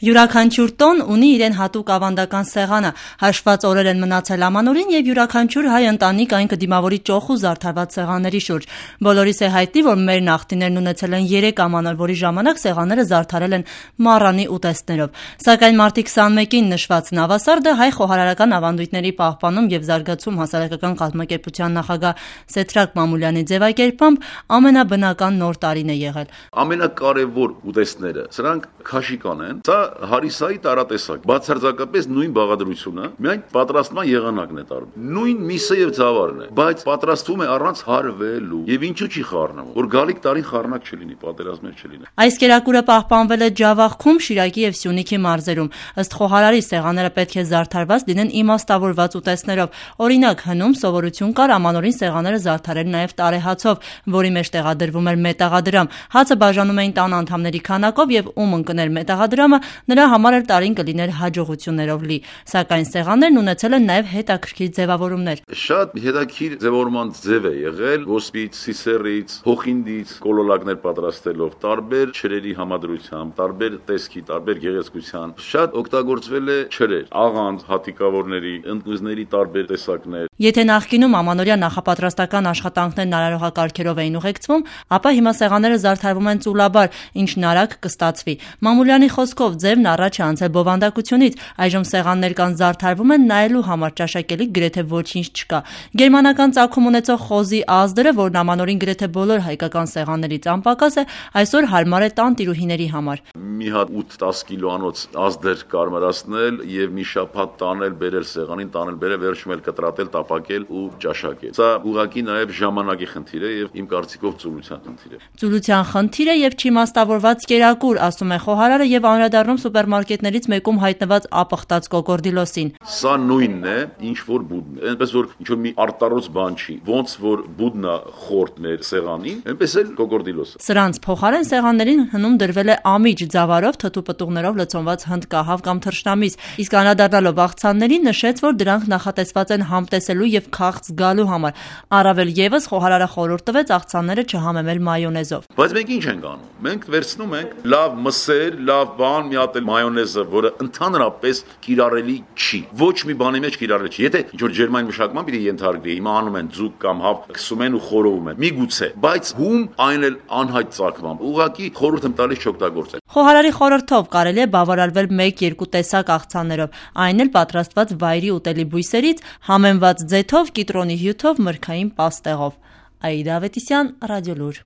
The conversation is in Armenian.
Յուրաքանչյուր տոն ունի իրեն հատուկ ավանդական սեղանը, հաշված օրեր են մնացել ամանորին եւ յուրաքանչյուր հայ ընտանիք այն կդիմավորի ճոխ ու զարդարված սեղանների շուրջ։ Բոլորիս է հայտնի, որ մեր նախնիներն ունեցել են 3 ամանոր, որի ժամանակ սեղանները զարդարել են մառանի ուտեստներով։ Սակայն մարտի 21-ին նշված նավասարդը հայ խոհարարական ավանդույթների պահպանում եւ զարգացում հասարակական կազմակերպության նախագահ Սեդրակ Մամուլյանի ձևակերպամբ ամենաբնական նոր տարին է եղել։ Ամենակարևոր ուտեստները սրանք քաշիկան են։ Սա հարիսայի տարատեսակ, բացարձակապես նույն բաղադրությունը, միայն պատրաստման եղանակն է տարբեր։ Նույն միսը եւ ծավալն է, բայց պատրաստվում է առանց հարվելու։ Եվ ինչու՞ չի խառնվում, որ գալիք տարին խառնակ չլինի, պատերազմներ չլինի։ Այս կերակուրը պահպանվել է Ջավախքում, Շիրակի եւ Սյունիքի մարզերում։ Ըստ խոհարարի սեղանները պետք է զարդարված լինեն իմաստավորված ուտեստներով։ Օրինակ, հնում սովորություն կար ամանորին սեղանները զարդարել նաեւ տարեհացով, որի մեջ տեղադրվում էր մետաղադրամ։ Հացը բաժանում էին տան անդամների քանակով եւ ում ընկներ մետաղադրամը, նրա համար էլ տարին կլիներ հաջողություններով լի, սակայն սեղաններն ունեցել են նաև հետաքրքիր ձևավորումներ։ Շատ հետաքրքիր ձևավորման ձև է եղել ոսպից, սիսեռից, հոխինդից կոլոլակներ պատրաստելով, տարբեր չրերի համադրությամբ, տարբեր տեսքի, տարբեր գեղեցկության։ Շատ օգտագործվել է չրեր, աղանդ, հատիկավորների, ընկույզների տարբեր տեսակներ։ Եթե նախկինում ամանորյա նախապատրաստական աշխատանքներն արարողակարգերով էին ուղեկցվում, ապա հիմա սեղանները զարդարվում են ծուլաբար, ինչն արագ կստացվի։ Մամուլյանի խոսքով ձևն առաջ է անցել բովանդակությունից, այժմ սեղաններ կան զարդարվում են նայելու համար, ճաշակելի գրեթե ոչինչ չկա։ Գերմանական ծագում ունեցող խոզի ազդրը, որն ամանորին գրեթե բոլոր հայկական սեղաններից անպակաս է, այսօր հարմար է տանտիրուհիների համար։ Մի հատ 8-10 կիլոանոց ազդեր կարմրացնել եւ մի շաբաթ տանել, բերել սեղանին, տանել, բերել, վերջում էլ կտրատել, տապակել ու ճաշակել։ Սա ուղղակի նաեւ ժամանակի խնդիր է եւ իմ կարծիքով ծուլության խնդիր է։ Ծուլության խնդիր է եւ չիմաստավորված կերակուր, ասում է խոհարարը եւ անդրադառնում սուպերմարկետներից մեկում հայտնված ապխտած կոկորդիլոսին։ Սա նույնն է, ինչ որ բուդն է։ Այնպես որ ինչ որ մի արտարոց բան չի։ Ոնց որ բուդն է խորտ մեր սեղանին, այնպես էլ կոկորդիլոսը։ Սրանց փոխարեն սեղաններին հնում դրվել է ամիջ ձավարով թթու պտուղներով լցոնված հնդկահավ կամ թռչնամիս, իսկ անդրադառնալով աղցաններին նշեց, որ դրանք նախատեսված են համտեսելու եւ քաղց զգալու համար։ Առավել եւս խոհարարը խորհուրդ տվեց աղցանները չհամեմել մայոնեզով։ Բայց մենք ինչ ենք անում։ Մենք վերցնում ենք լավ մսեր, լավ բան, մի հատ էլ մայոնեզը, որը ընդհանրապես կիրառելի չի։ Ոչ մի բանի մեջ կիրառելի չի։ Եթե ինչ որ ջերմային մշակման պիտի ենթարկվի, հիմա անում են ձուկ կամ հավ, քսում են ու խորովում են։ Միգուցե, բայց հում այն էլ անհայտ ծագմամբ։ Ուղղակի խորհուրդ եմ տալիս չօգտագործել։ Խոհարարի խորհրդով կարելի է բավարարվել 1-2 տեսակ աղցաններով, այն էլ պատրաստված վայրի ուտելի բույսերից, համեմված ձեթով, կիտրոնի հյութով, մրգային պաստեղով։ Աիդա Ավետիսյան, Ռադիոլուր։